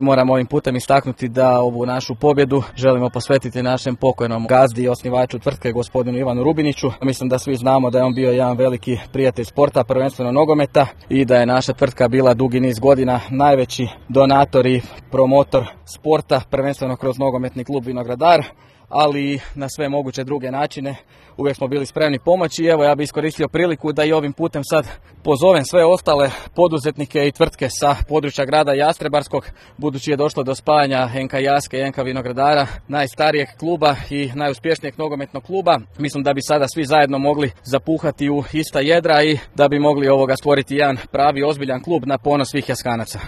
Moramo ovim putem istaknuti da ovu našu pobjedu želimo posvetiti našem pokojnom gazdi i osnivaču tvrtke, gospodinu Ivanu Rubiniću. Mislim da svi znamo da je on bio jedan veliki prijatelj sporta, prvenstveno nogometa, i da je naša tvrtka bila dugi niz godina najveći donator i promotor sporta, prvenstveno kroz nogometni klub Vinogradar, ali i na sve moguće druge načine. Uvijek smo bili spremni pomoći i evo ja bih iskoristio priliku da i ovim putem sad pozovem sve ostale poduzetnike i tvrtke sa područja grada Jastrebarskog, budući je došlo do spajanja NK Jaske i NK Vinogradara, najstarijeg kluba i najuspješnijeg nogometnog kluba. Mislim da bi sada svi zajedno mogli zapuhati u ista jedra i da bi mogli stvoriti jedan pravi ozbiljan klub na ponos svih Jaskanaca.